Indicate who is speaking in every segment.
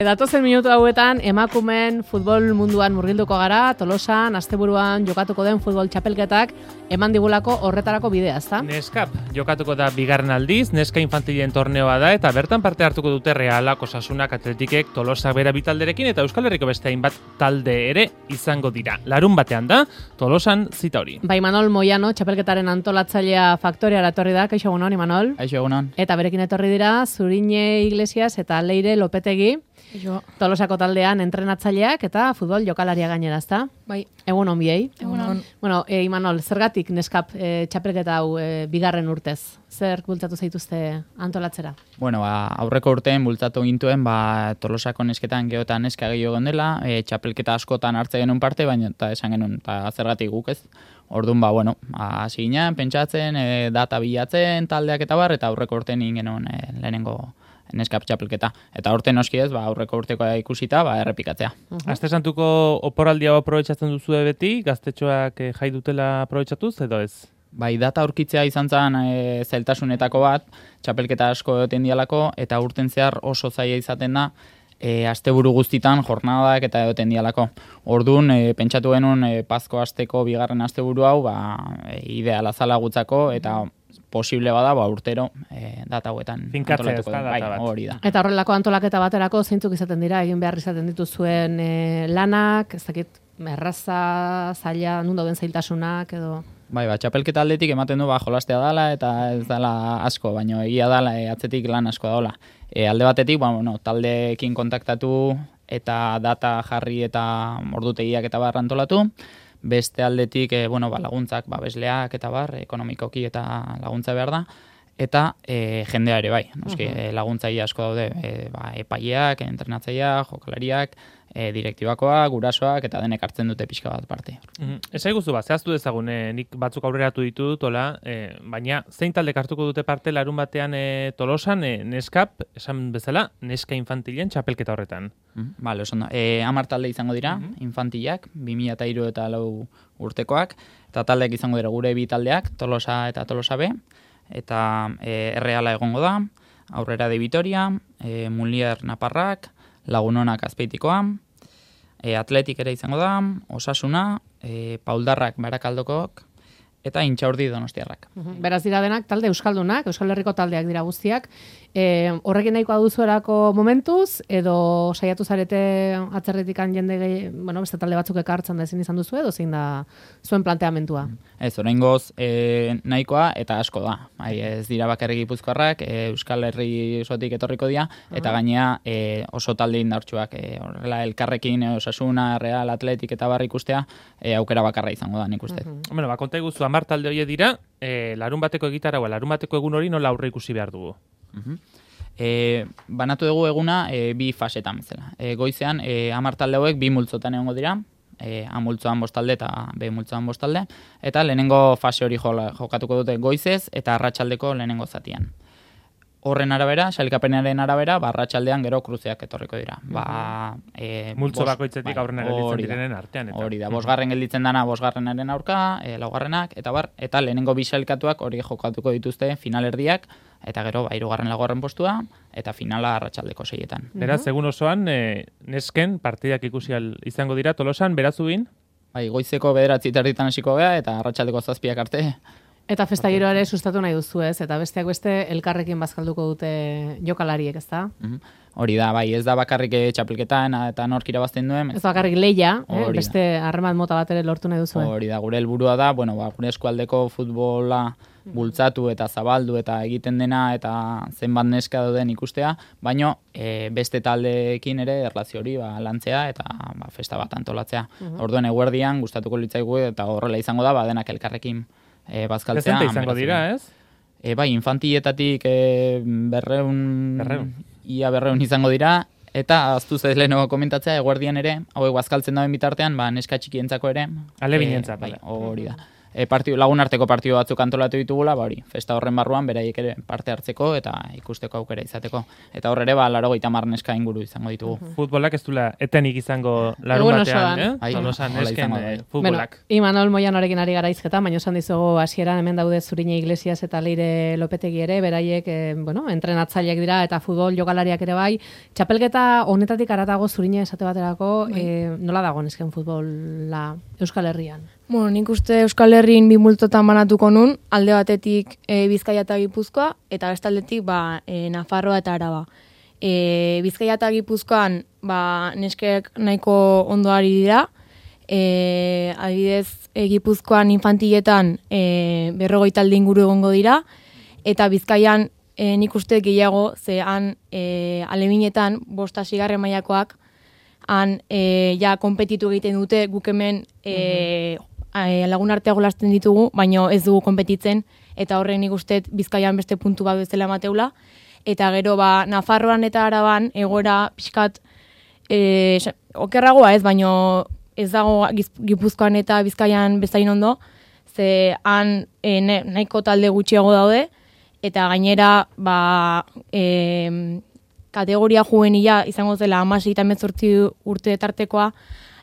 Speaker 1: Datozen minutu hauetan emakumeen futbol munduan murgilduko gara, Tolosan, asteburuan jokatuko den futbol txapelketak eman digulako horretarako bidea, ezta?
Speaker 2: Neskap jokatuko da bigarren aldiz, neska infantilen torneoa da eta bertan parte hartuko dute Realak, Osasunak, Atletikek, Tolosak bera bitalderekin eta Euskal Herriko beste hainbat talde ere izango dira. Larun batean da, Tolosan zita hori.
Speaker 1: Bai, Imanol Moiano, txapelketaren antolatzailea Faktoriara etorri da, kaixo egunon, Imanol?
Speaker 3: Kaixo egunon.
Speaker 1: Eta berekin etorri dira, Zurine Iglesias eta Leire Lopetegi. Tolosako taldean entrenatzaileak eta futbol jokalaria gainera, ezta?
Speaker 4: Bai.
Speaker 1: Egunon biei.
Speaker 4: Egunon.
Speaker 1: Bueno, Imanol, zergatik neskap txapelketa hau bigarren urtez? Zer bultzatu zaituzte antolatzera?
Speaker 3: Bueno, aurreko urteen bultzatu gintuen, Tolosako nesketan geho eta neska gehiago dela, txapelketa askotan hartze genuen parte, baina eta esan genuen, eta zergatik guk ez. Orduan, hasi ginen, pentsatzen, data bilatzen, taldeak eta bar, eta aurreko urteen genuen lehenengo neskap txapelketa. Eta urte noski ez, aurreko urtekoa ikusita, errepikatzea.
Speaker 2: Aste Santuko oporaldi hau aprobetxatzen duzu beti, gaztetxoak jai dutela aprobetxatuz, edo ez?
Speaker 3: Bai, data aurkitzea izan zen zailtasunetako bat, txapelketa asko egoten dialako, eta urten zehar oso zaila izaten da, asteburu guztitan jornadak eta egoten dialako. Orduan, pentsatu genuen Pazko asteko bigarren asteburu hau, ideala zala gutzako, eta posible bada, urtero data hauetan
Speaker 2: antolatuko da. Bai,
Speaker 3: hori da.
Speaker 1: Eta horrelako antolaketa baterako zeintzuk izaten dira, egin behar izaten dituzuen lanak, ez dakit, erraza, zaila, nun dauden zailtasunak, edo...
Speaker 3: Bai, txapelketa aldetik ematen du jolastea dala eta ez dala asko, baina egia dala atzetik lan asko daola. Alde batetik, taldeekin kontaktatu eta data jarri eta ordutegiak eta bar antolatu. Beste aldetik, laguntzak, babesleak eta bar, ekonomikoki eta laguntza behar da. Eta jendea ere bai, laguntzaile asko daude, epaileak, entrenatzaileak, jokalariak, direktibakoak, gurasoak eta denek hartzen dute pixka bat parte.
Speaker 2: Ez aiguzu zehaztu dezagun, nik batzuk aurreratu ditut, baina zein taldek hartuko dute parte larun batean Tolosan, neskap, esan bezala, neska infantilen txapelketa horretan.
Speaker 3: Bale, oso da. 10 talde izango dira, infantilak, 2003 eta 4 urtekoak, eta taldeak izango dira gure bi taldeak, Tolosa eta Tolosa B, eta Erreala egongo da, Aurrera de Vitoria, Mulier Naparrak, Lagunonak Azpeitikoa, Atletik ere izango da, Osasuna, Pauldarrak Barakaldokok, eta Intxaurdi Donostiarrak.
Speaker 1: Beraz dira denak talde euskaldunak, Euskal Herriko taldeak dira guztiak. Horrekin nahikoa duzuerako momentuz, edo saiatu zarete atzerritikan jende beste talde batzuk ekartzen da ezin izan duzu, edo zein da zuen planteamentua?
Speaker 3: Ez, oraingoz nahikoa eta asko da. Ez dira bakarrik Gipuzkoarrak, Euskal Herri osotik etorriko dira, eta gainea oso talde indartsuak, horrela elkarrekin Osasuna, Real, Atletik eta bar ikustea, aukera bakarra izango da, nik uste.
Speaker 2: Konta iguzu 10 talde horiek dira, larun bateko egitaragoa, larun bateko egun hori nola aurre ikusi behar dugu?
Speaker 3: Banatu dugu eguna bi fasetan bezala. Goizean 10 talde hauek bi multzotan egongo dira, A multzoan 5 talde eta B multzoan 5 talde, eta lehenengo fase hori jokatuko dute goizez eta arratsaldeko lehenengo zatian. Horren arabera, sailkapenaren arabera, arratsaldean gero kruzeak etorriko dira.
Speaker 2: Multzo bakoitzetik aurrena gelditzen direnen artean.
Speaker 3: Hori da, 5. gelditzen dana 5. aurka, 4. eta lehenengo bi sailkatuak hori jokatuko dituzte finalerdiak, eta gero 3. 4. postua, eta finala arratsaldeko 6etan.
Speaker 2: Beraz, egun osoan, nesken partidak ikusi izango dira Tolosan, berazubin?
Speaker 3: Bai, goizeko 9:00 hasiko gea, eta arratsaldeko 7 arte.
Speaker 1: Eta festa giroa ere sustatu nahi duzu, ez? Eta besteak beste elkarrekin bazkalduko dute jokalariek, ezta?
Speaker 3: Hori da, bai, ez da bakarrik txapelketan eta nork irabazten duen.
Speaker 1: Ez bakarrik lehia, beste harreman mota bat ere lortu nahi duzu.
Speaker 3: Hori da, gure helburua da, gure eskualdeko futbola bultzatu eta zabaldu eta egiten dena eta zenbat neska dauden ikustea, baino beste taldeekin ere erlazio hori lantzea eta festa bat antolatzea. Orduan eguerdian gustatuko litzaigu eta horrela izango da, denak elkarrekin bazkaltzea.
Speaker 2: Prezente izango dira, ez?
Speaker 3: Bai, infantiletatik 200 izango dira, eta aztu zez leheno komentatzea, eguerdian ere, hauek bazkaltzen dauen bitartean, neska txikientzako ere.
Speaker 2: Alebinentzat.
Speaker 3: Bai, hori da. lagunarteko partidu batzuk antolatu ditugula, ba hori, festa horren barruan beraiek ere parte hartzeko eta ikusteko aukera izateko. Eta hor ere, 80 neska inguru izango ditugu.
Speaker 2: Futbolak ez duela etenik izango larun batean, Tolosan nesken futbolak.
Speaker 1: Imanol Moianorekin ari gara izketan, baina esan dizugu hasieran hemen daude Zurine Iglesias eta Leire Lopetegi ere, beraiek, entrenatzaileak dira eta futbol jokalariak ere bai. Txapelketa honetatik haratago Zurine esate baterako, nola dago nesken futbola Euskal Herrian?
Speaker 4: Bueno, nik uste Euskal Herrin bi multotan banatuko nun, alde batetik Bizkaia eta Gipuzkoa, eta bestaldetik Nafarroa eta Araba. Bizkaia eta Gipuzkoan neskek nahiko ondo ari dira, adibidez Gipuzkoan infantiletan 40 talde inguru egongo dira, eta Bizkaian nik uste gehiago, ze han alebinetan 5. mailakoak han ja konpetitu egiten dute, guk hemen lagun artea jolasten ditugu, baino ez dugu konpetitzen, eta horren nik uste Bizkaian beste puntu bat bezala emateula, eta gero Nafarroan eta Araban egoera pixkat okerragoa ez, baino ez dago Gipuzkoan eta Bizkaian bezain ondo, ze han nahiko talde gutxiago daude, eta gainera kategoria juvenila izango zela 16 eta 18 urte tartekoa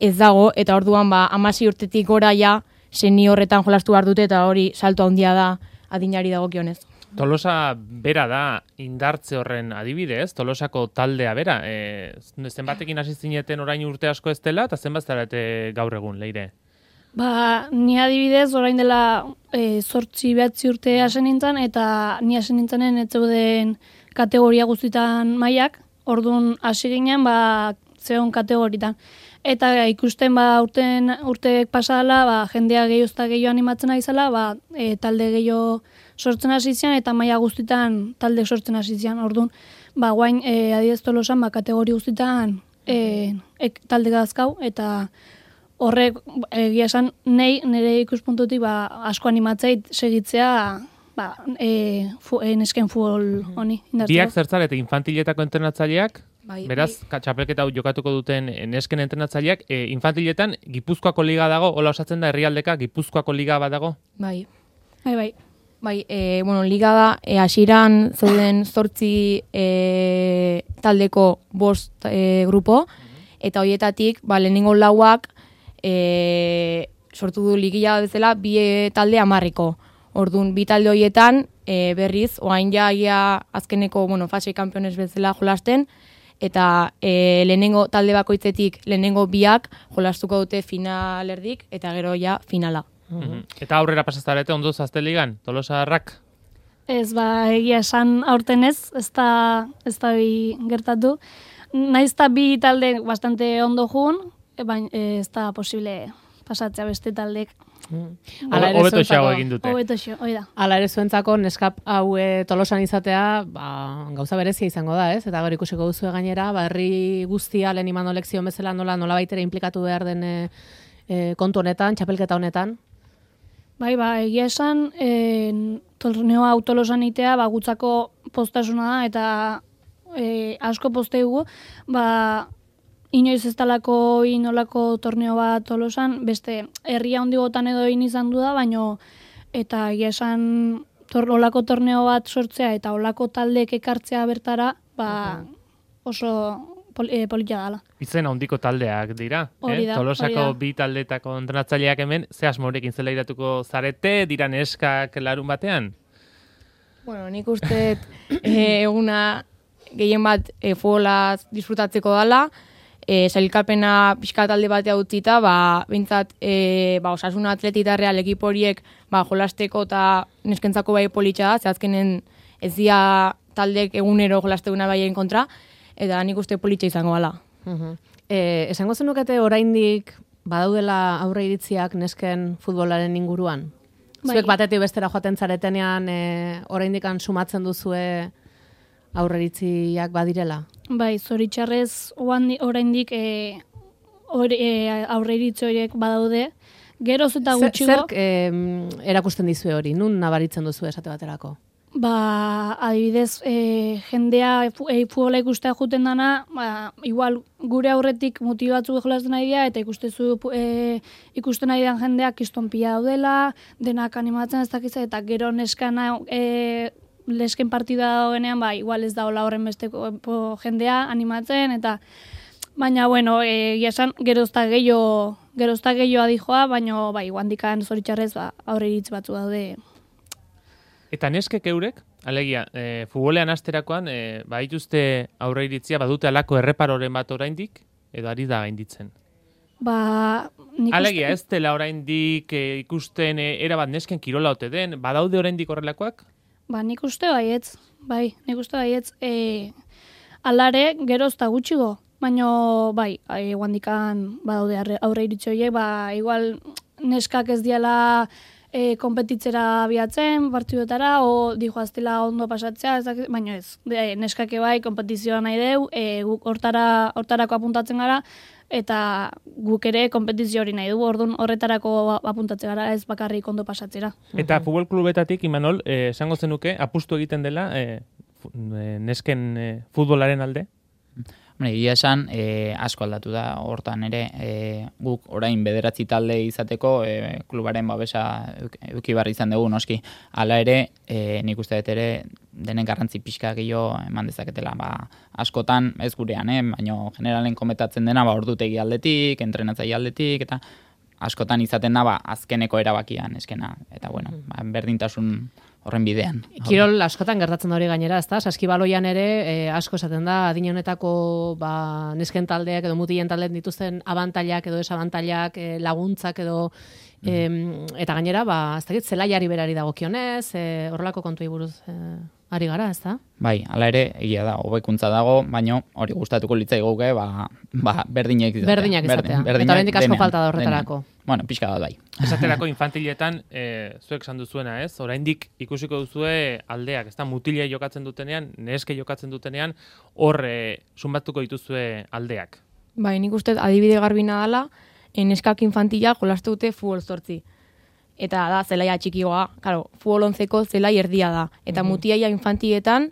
Speaker 4: ez dago, eta orduan 16 urtetik gora ja seniorretan jolastu behar dute, eta hori salto handia da adinari dagokionez.
Speaker 2: Tolosa bera da indartze horren adibidez, Tolosako taldea bera. Zenbatekin hasi zineten orain urte asko ez dela, eta zenbat zarete gaur egun, Leire?
Speaker 5: Ni adibidez orain dela 8-9 urte hasen nintzen, eta ni hasen nintzenen ez zeuden kategoria guztitan mailak, orduan hasi ginen zeon kategoritan. Eta ikusten urteek pasadala, jendea gehiago animatzen ari zela, talde gehiago sortzen hasi zian, eta maila guztitan talde sortzen hasi zian. Orduan, guain adibidez Tolosan kategori guztitan talde dazkau, eta horrek egia esan nire ikuspuntutik asko animatzeit segitzea nesken futbol honi.
Speaker 2: Biak zertzarete infantiletako entrenatzaileak? Beraz, txapelketa jokatuko duten nesken entrenatzaileak, infantiletan Gipuzkoako liga dago, hola osatzen da herrialdeka Gipuzkoako liga bat dago?
Speaker 4: Bai.
Speaker 5: Bai,
Speaker 4: liga da, hasieran zeuden 8 taldeko 5 grupo, eta horietatik, lehenengo lauak sortu du ligia bezala 2 talde 10. Orduan, 2 talde horietan berriz, oain ja azkeneko fase kanpiones bezala jolasten, eta lehenengo talde bakoitzetik lehenengo 2 jolastuko dute finalerdik, eta gero ja finala.
Speaker 2: Eta aurrera pasaztarete ondo zazte ligan, Tolosarrak?
Speaker 5: Ez, egia esan aurten ez da gertatu. Naiz eta 2 talde bastante ondo jun, baina ez da posible pasatzea beste taldek.
Speaker 2: Hobeto xago egin dute.
Speaker 1: Hala ere zuentzako neskap hau Tolosan izatea gauza berezia izango da, ez? Eta gero ikusiko duzu gainera, herri guztia lehen Imanol lekzio bezala nola baitere implikatu behar den kontu honetan, txapelketa honetan.
Speaker 5: Bai, egia esan, torneo hau Tolosan itea, gutzako postasuna da, eta asko posteugu, inoiz ez talako inolako torneo bat Tolosan, beste herria hondigotan edo izan du da, baino eta egia esan olako torneo bat sortzea eta olako taldek ekartzea bertara, oso politia dala.
Speaker 2: Izen handiko taldeak dira, Tolosako 2 taldetako entrenatzaileak hemen, ze asmorekin zela iratuko zarete, dira neskak larun batean?
Speaker 4: Bueno, nik uste eguna gehien bat futbolaz disfrutatzeko dala, sailkapena pixka talde batea utzita, bintzat Osasuna Atleti Real ekipo horiek jolasteko eta neskentzako bai politxa da, zehazkenen ez dira taldek egunero jolasteguna baien kontra, eta nik uste politxa izango gala.
Speaker 1: Esango zenukete oraindik badaudela aurre iritziak nesken futbolaren inguruan? Zuek batetik bestera joaten zaretenean oraindikan sumatzen duzue aurreritziak badirela?
Speaker 5: Bai, zoritxarrez oraindik aurreiritzi horiek badaude. Geroz eta gutxigo.
Speaker 1: Zerk erakusten dizue hori? Nun nabaritzen duzu esate baterako?
Speaker 5: Adibidez, jendea futbola ikustea juten dana, igual gure aurretik mutil batzuk jolasten nahi dira, eta ikusten nahi dian jendeak kiston pila daudela, denak animatzen ez dakitza, eta gero neskana lesken partida dagoenean, igual ez da hola horren besteko jendea animatzen, eta baina, bueno, esan gerozta gehiago adijoa, baina, guandikan zoritxarrez, aurre iritz batzu daude.
Speaker 2: Eta neskek eurek, alegia, futbolean asterakoan, baituzte aurre iritzia, badute alako erreparoren bat oraindik, edo ari da gainditzen? Alegia, ez dela oraindik ikusten erabat nesken kirola ote den, badaude oraindik horrelakoak?
Speaker 5: Nik uste baietz, nik uste baietz. Alare, gerozta gutxigo, baina, guandikan badaude aurre iritzi horiek, igual neskak ez diala konpetitzera biatzen, partidotara, o dijoaztela ondo pasatzea, baina ez, neskake kompetizioa nahi deu, guk hortarako apuntatzen gara, eta guk ere kompetizio hori nahi dugu, orduan horretarako apuntatzen gara, ez bakarrik ondo pasatzera.
Speaker 2: Eta futbol klubetatik, Imanol, esango zenuke, apustu egiten dela nesken futbolaren alde?
Speaker 3: Egia esan, asko aldatu da, hortan ere, guk orain 9 talde izateko klubaren babesa eduki barri izan dugu, noski. Hala ere, nik uste dut ere, denen garrantzi pixka gehiago eman dezaketela. Askotan, ez gurean, baina generalen kometatzen dena, ordutegi aldetik, entrenatzaile aldetik, eta askotan izaten da, azkeneko erabakian eskena. Eta, bueno, berdintasun horren bidean.
Speaker 1: Kirol askotan gertatzen da hori gainera, ezta? Saskibaloian ere asko esaten da adin honetako nesken taldeak edo mutilen taldeak dituzten abantailak edo desabantailak, laguntzak edo eta gainera, ez dakit, zelaiari berari dagokionez, horrelako kontuei buruz ari gara, ezta?
Speaker 3: Hala ere, egia da, hobekuntza dago, baina hori gustatuko litzaigoke, berdinak izatea.
Speaker 1: Berdinak izatea. Eta oraindik asko falta da horretarako.
Speaker 3: Bueno, pixka bat bai.
Speaker 2: Esaterako infantiletan, zuek esan duzuena, ez? Oraindik ikusiko duzue aldeak, ezta? Mutile jokatzen dutenean, neske jokatzen dutenean, hor sunbatuko dituzue aldeak.
Speaker 4: Nik uste adibide garbina dela, neskak infantila jolastu dute futbol 8. Eta da, zelaia txikigoa, claro, futbol 11ko zelai erdia da. Eta mutiaia infantietan,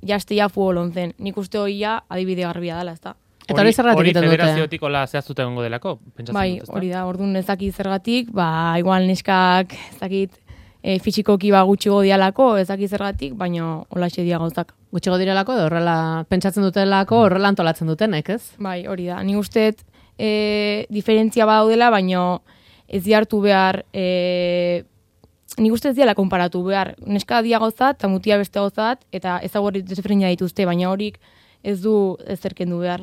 Speaker 4: jastia futbol 11. Nik uste hoia adibide garbia dela, ezta?
Speaker 1: Eta hori zergatik egiten dute?
Speaker 2: Hori federaziotik hola zehaztuta egongo delako?
Speaker 4: Hori da, orduan ez dakit zergatik, igual neskak ez dakit fisikoki gutxigo dialako, ez dakit zergatik, baina hola dia gauzak.
Speaker 1: Gutxigo direlako, edo horrela pentsatzen dutelako, horrela antolatzen dutenek, ez?
Speaker 4: Hori da, nik uste diferentzia badaudela, baina ez diartu behar, nik uste ez diala konparatu behar, neska dia gauzat, eta mutia beste gauzat, eta ezagurri desberdina dituzte, baina horik ez du ezerken du behar.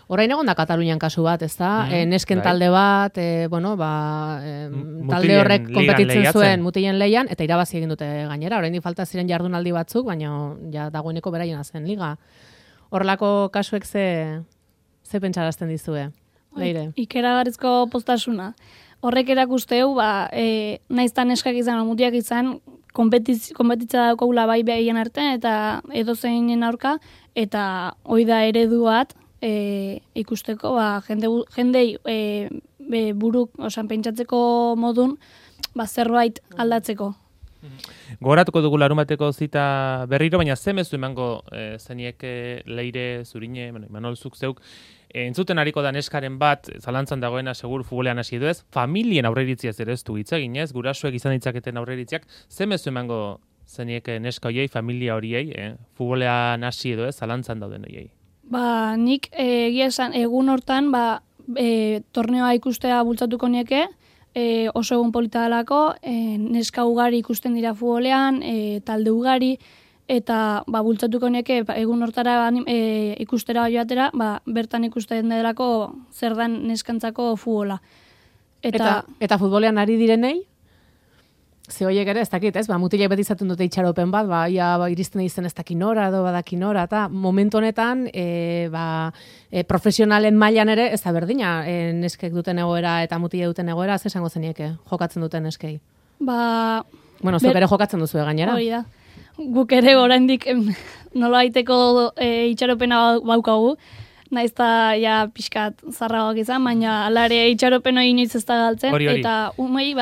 Speaker 1: Orain egon da Katalunian kasu bat, ez da? Nesken talde bat, talde horrek konpetitzen zuen mutilen leian, eta irabazi egin dute gainera. Oraindik falta ziren jardunaldi batzuk, baina ja dagoeneko beraiena zen liga. Horrelako kasuek ze pentsarazten dizue? Leire.
Speaker 5: Ikeragarrizko postasuna. Horrek erakusteu, naizta neskak izan, mutiak izan, konpetitza daukagula bai behien artean, eta edozeinen aurka, eta hoi da eredu bat ikusteko, jendei buruk, pentsatzeko modun, zerbait aldatzeko.
Speaker 2: Gogoratuko dugu larunbateko zita berriro, baina ze mezu emango zeniek Leire, Zurine, Imanol, zuk zeuk, entzuten hariko da neskaren bat, zalantzan dagoena segur futbolean hasi edo ez, familien aurreritziaz ere ez du hitz egin ez, gurasuek izan ditzaketen aurreritziak, ze mezu emango zeniek neska horiei, familia horiei, futbolean hasi edo ez, zalantzan dauden horiei?
Speaker 5: Nik egia esan, egun hortan, torneoa ikustea bultzatuko nieke, oso egun polita delako, neska ugari ikusten dira futbolean, talde ugari, eta bultzatuko nieke egun hortara ikustera joatera, bertan ikusten delako zer dan neskantzako futbola.
Speaker 1: Eta futbolean ari direnei? Ze horiek ere, ez dakit, ez? Mutilek beti izaten dute itxaropen bat, iristen izten ez dakinora, edo badakinora, eta momentu honetan, profesionalen mailan ere, ez da berdina, neskek duten egoera eta mutile duten egoera, ze esango zenieke, jokatzen duten neskei? Bueno, zuk ere jokatzen duzu gainera.
Speaker 5: Hori da. Guk ere oraindik nola aiteko itxaropena baukagu, naizta ja pixkat zarragoak izan, baina alare itxaropen hori inoiz ez da galtzen,
Speaker 2: Hori.
Speaker 5: eta umei,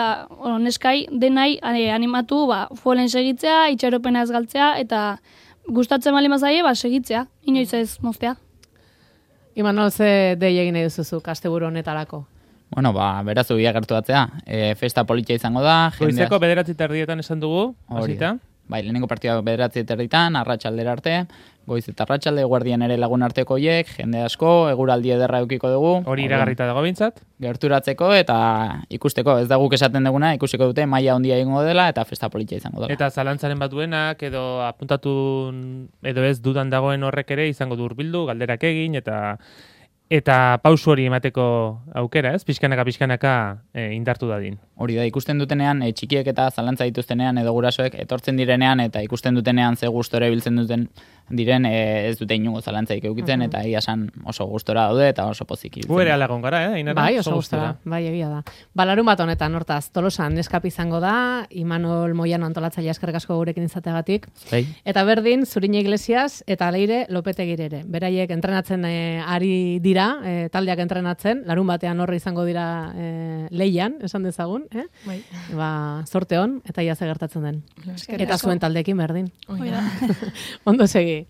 Speaker 5: neskai denai animatu, futbolen segitzea, itxaropena ez galtzea, eta gustatzen bali mazaie, segitzea, inoiz ez moztea.
Speaker 1: Imanol, ze dei egin nahi duzuzuk asteburu honetarako?
Speaker 3: Bueno, berazu gertu batzea. Festa politia izango da.
Speaker 2: Goizeko 9:30 esan dugu,
Speaker 3: Hori
Speaker 2: hasita.
Speaker 3: da. Bai, lehenengo partida 9:30 arratsaldera arte, goiz eta arratsalde, guardian ere lagun arteko hoiek, jende asko, eguraldi ederra edukiko dugu.
Speaker 2: Hori iragarrita dago behintzat.
Speaker 3: Gerturatzeko eta ikusteko, ez da guk esaten duguna, ikusiko dute maila handia egingo dela eta festa politia izango dela.
Speaker 2: Eta zalantzaren bat duenak, edo apuntatu, edo ez dudan dagoen horrek ere izango du hurbildu, galderak egin, eta pausu hori emateko aukera, ez? Pixkanaka indartu dadin.
Speaker 3: Hori da, ikusten dutenean, txikiek eta zalantza dituztenean edo gurasoek etortzen direnean eta ikusten dutenean ze gustora ibiltzen duten diren ez dute inungo zalantzaik eukitzen eta egia esan oso gustora daude eta oso pozik ibiltzen.
Speaker 2: Gu ere alagon gara, Ainara?
Speaker 1: Bai, oso gustora. Bai, egia da. Larun bat honetan, hortaz, Tolosan neskap izango da, Imanol Moiano antolatzailea eskerrik asko gurekin izateagatik.
Speaker 3: Bai.
Speaker 1: Eta berdin, Zurine Iglesias eta Leire Lopetegire ere. Beraiek entrenatzen ari dira, taldeak entrenatzen, larun batean horre izango dira leian, esan dezagun,
Speaker 4: Bai.
Speaker 1: Zorte hon, eta ia ze gertatzen den. Eta zuen taldeekin berdin.
Speaker 4: Hoi da.
Speaker 1: Ondo segi.